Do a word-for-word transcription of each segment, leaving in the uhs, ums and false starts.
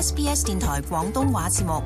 S B S 電台廣東話節目。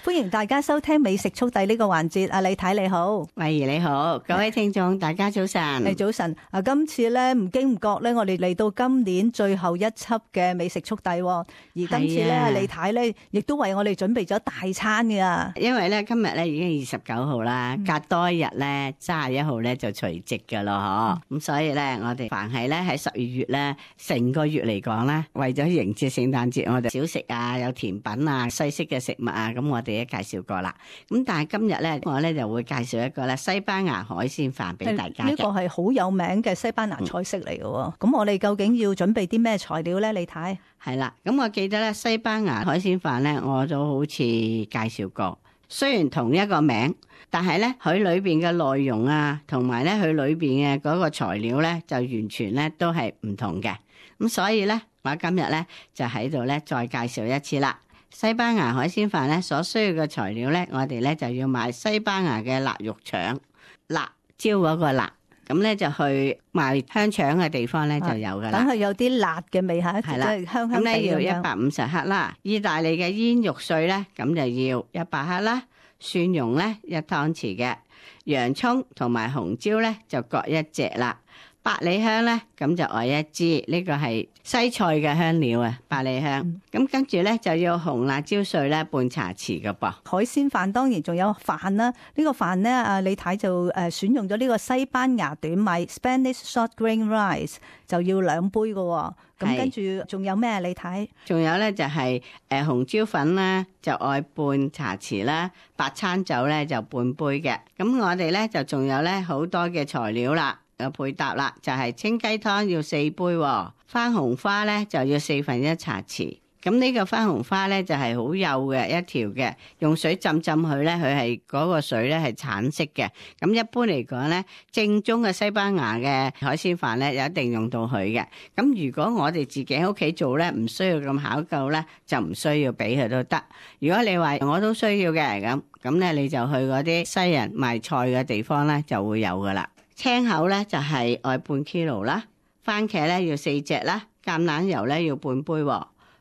歡迎大家收聽美食速遞呢個環節。阿李太你好，慧怡你好，各位聽眾大家早晨。誒早晨。啊，今次咧唔經唔覺咧，我哋嚟到今年最後一輯嘅美食速遞，而今次咧，啊、李太咧亦都為我哋準備咗大餐㗎。因為咧今日咧已經二十九號啦，隔多一日咧三十一號咧就除夕噶咯，嗬、嗯。咁所以咧，我哋凡係咧喺十二月咧，成個月嚟講咧，為咗迎接聖誕節，我哋小食啊，有甜品啊，西式嘅食物啊，咁我哋介紹過啦，咁但係今日咧，我咧就會介紹一個咧西班牙海鮮飯俾大家嘅。呢個係好有名嘅西班牙菜式嚟嘅。咁、嗯、我哋究竟要準備啲咩材料咧？李太係啦，咁我記得咧西班牙海鮮飯咧，我都好似介紹過。雖然同一個名，但係咧佢裏邊嘅內容啊，同埋咧佢裏邊嘅嗰個材料咧，就完全咧都係唔同嘅。咁所以咧，我今日咧就喺度咧再介紹一次啦。西班牙海鮮飯咧所需要嘅材料咧，我哋咧就要買西班牙嘅辣肉腸，辣椒嗰個辣，咁咧就去賣香腸嘅地方咧就有噶啦。等佢有啲辣嘅味嚇，係啦，香香地咁咧要咁樣。一百五十克啦，意大利嘅煙肉碎咧，咁就要一百克啦，蒜蓉咧一湯匙嘅，洋葱同埋紅椒咧就各一隻啦。百里香咧，咁就愛一支，呢、這個係西菜嘅香料啊，百里香。咁、嗯、跟住咧就要紅辣椒碎咧半茶匙嘅噃。海鮮飯當然仲有飯啦，呢、這個飯咧啊李太就誒選用咗呢個西班牙短米 Spanish short grain rice 就要兩杯嘅。咁跟住仲有咩？李太？仲有咧就係誒紅椒粉啦，就愛半茶匙啦，白餐酒咧就半杯嘅。咁我哋咧就仲有咧好多嘅材料啦。有配搭啦，就係、是、清雞湯要四杯，番紅花咧就要四分一茶匙。咁呢個番紅花咧就係好幼嘅一條嘅，用水浸浸佢咧，佢係嗰個水咧係橙色嘅。咁一般嚟講咧，正宗嘅西班牙嘅海鮮飯咧，有一定用到佢嘅。咁如果我哋自己喺屋企做咧，唔需要咁考究咧，就唔需要俾佢都得。如果你話我都需要嘅，咁咁咧你就去嗰啲西人賣菜嘅地方咧就會有噶啦。青口咧就係愛半 kilo 啦，番茄咧要四隻啦，橄欖油咧要半杯，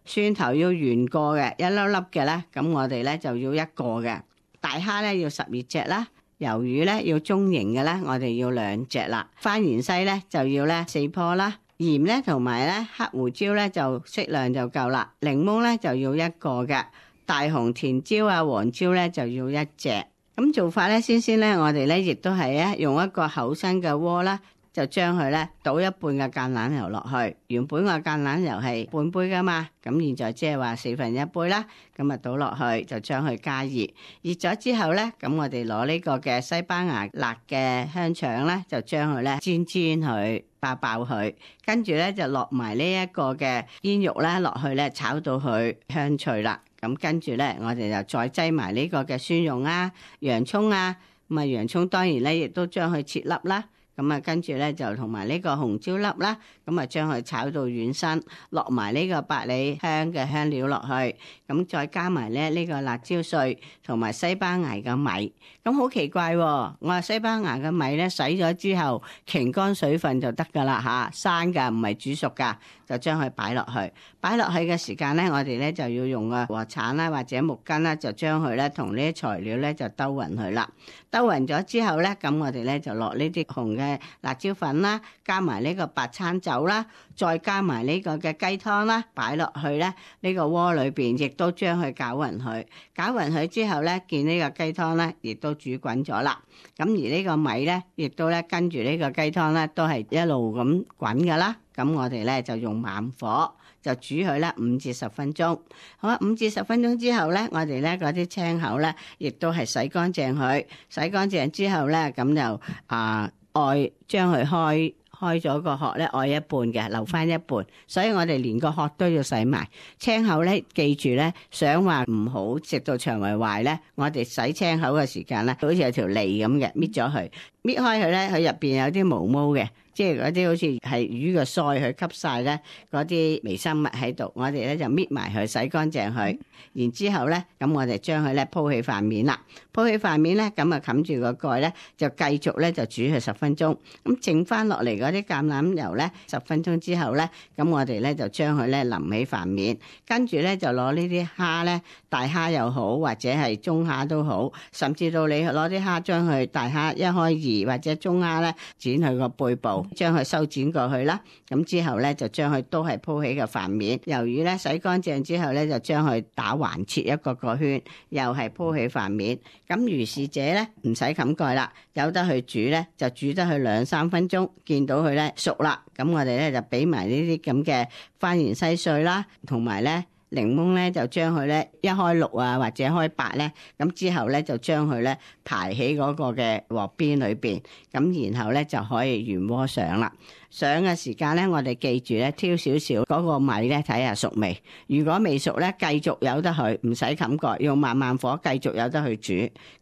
蒜頭要原個嘅一粒粒嘅咧，咁我哋咧就要一個嘅。大蝦咧要十二隻啦，魷魚咧要中型嘅咧，我哋要兩隻啦。番芫茜咧就要咧四棵啦，鹽咧同埋咧黑胡椒咧就適量就夠啦。檸檬咧就要一個嘅，大紅甜椒啊黃椒咧就要一隻。咁做法咧，先先咧，我哋咧亦都係咧用一個厚身嘅鍋啦，就將佢咧倒一半嘅橄欖油落去。原本個橄欖油係半杯噶嘛，咁現在即係話四分一杯啦，咁啊倒落去就將佢加熱。熱咗之後咧，咁我哋攞呢個嘅西班牙辣嘅香腸咧，就將佢咧煎煎佢，爆爆佢，跟住咧就落埋呢一個嘅煙肉咧落去咧炒到佢香脆啦。咁跟住咧，我哋就再擠埋呢個嘅蒜蓉啊、洋葱啊，咁啊洋葱當然咧亦都將佢切粒啦。咁啊跟住咧就同埋呢個紅椒粒啦，咁啊將佢炒到軟身，落埋呢個百里香嘅香料落去，咁再加埋咧呢個辣椒碎同埋西班牙嘅米。咁好奇怪喎，我話西班牙嘅米咧洗咗之後擎乾水分就得噶啦嚇，生㗎唔係煮熟㗎，就將佢擺落去。擺落去嘅時間咧，我哋咧就要用個鍋鏟啦或者木棍啦，就將佢咧同呢啲材料咧就兜勻佢啦。兜勻咗之後咧，咁我哋咧就落呢啲紅嘅辣椒粉啦，加埋呢個白餐酒啦，再加埋呢個嘅雞湯啦，擺落去咧呢個鍋裏邊，亦都將佢攪勻佢。攪勻佢之後咧，見呢個雞湯咧，亦都煮滾咗啦。咁而呢個米咧，亦都咧跟住呢個雞湯咧，都係一路咁滾噶啦。咁我哋咧就用慢火就煮佢咧五至十分鐘。好啦，五至十分鐘之後咧，我哋咧嗰啲青口咧，亦都係洗乾淨佢。洗乾淨之後咧，咁就啊愛將佢開開咗個殼咧，愛一半嘅，留翻一半。所以我哋連個殼都要洗埋。青口咧，記住咧，想話唔好食到腸胃壞咧，我哋洗青口嘅時間咧，好似有條脷咁嘅，搣咗佢。搣開佢咧，佢入邊有啲毛毛嘅。即係嗰啲好似係魚嘅腮，去吸晒咧嗰啲微生物喺度，我哋咧就搣埋佢，洗乾淨佢，然之後咧，咁我哋將佢咧鋪起塊面啦，鋪起塊面咧，咁啊冚住個蓋咧，就繼續咧就煮佢十分鐘。咁剩翻落嚟嗰啲橄欖油咧，十分鐘之後咧，咁我哋咧就將佢咧淋起塊面，跟住咧就攞呢啲蝦咧，大蝦又好，或者係中蝦都好，甚至到你攞啲蝦將佢大蝦一開二或者中蝦咧剪佢個背部。將佢修剪過去啦，咁之後咧就將佢都係鋪起個飯面，魷魚咧洗乾淨之後咧就將佢打橫切一個個圈，又係鋪起飯面。咁如是者咧唔使冚蓋啦，由得佢煮咧就煮得佢兩三分鐘，見到佢咧熟啦，咁我哋咧就俾埋呢啲咁嘅番芫茜碎啦，同埋咧。檸檬咧就將佢咧一開六啊或者開八咧，咁之後咧就將佢咧排喺嗰個嘅鑊邊裏邊，咁然後咧就可以原鍋上啦。上嘅時間咧，我哋記住咧挑少少嗰個米咧睇下熟未。如果未熟咧，繼續由得佢，唔使冚蓋，用慢慢火繼續由得佢煮。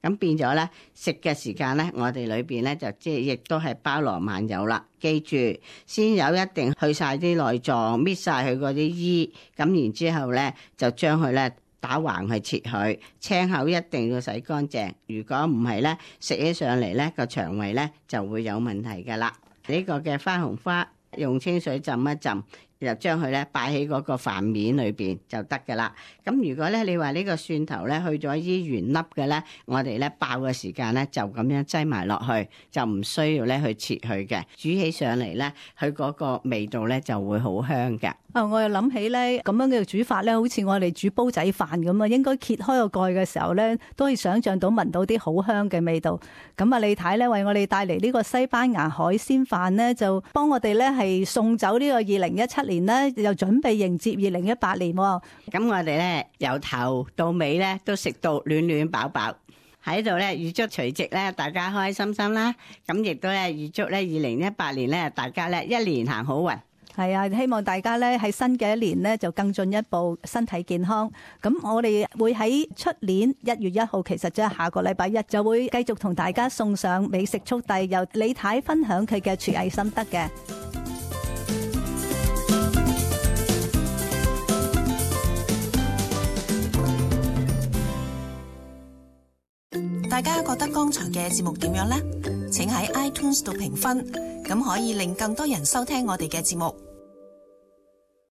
咁變咗咧食嘅時間咧，我哋裏邊咧就即係亦都係包羅萬有啦。記住先有一定去晒啲內臟，搣晒佢嗰啲衣，咁然之後咧就將佢咧打橫去切佢，青口一定要洗乾淨。如果唔係咧，食起上嚟咧個腸胃咧就會有問題噶啦。呢個嘅花紅花用清水浸一浸，就將佢咧擺喺嗰個飯面裏邊就得噶啦。咁如果咧你話呢個蒜頭咧去咗啲圓粒嘅咧，我哋咧爆嘅時間咧就咁樣擠埋落去，就唔需要咧去切佢嘅。煮起上嚟咧，佢嗰個味道咧就會好香嘅。啊！我又諗起咧，咁樣嘅煮法咧，好似我哋煮煲仔飯咁啊，應該揭開個蓋嘅時候咧，都可以想像到聞到啲好香嘅味道。咁啊，李太咧為我哋帶嚟呢個西班牙海鮮飯咧，就幫我哋咧係送走呢個二零一七年咧，又準備迎接二零一八年。咁我哋咧由頭到尾咧都食到暖暖飽飽。喺度咧預祝除夕咧大家開開心心啦。咁亦都咧預祝咧二零一八年咧大家咧一年行好運。係啊，希望大家咧喺新嘅一年咧就更進一步，身體健康。咁我哋會喺出年一月一號，其實即係下個禮拜一就會繼續同大家送上美食速遞，由李太分享佢嘅廚藝心得嘅。大家覺得剛才嘅節目點樣呢？請喺 iTunes 度評分，咁可以令更多人收聽我哋嘅節目。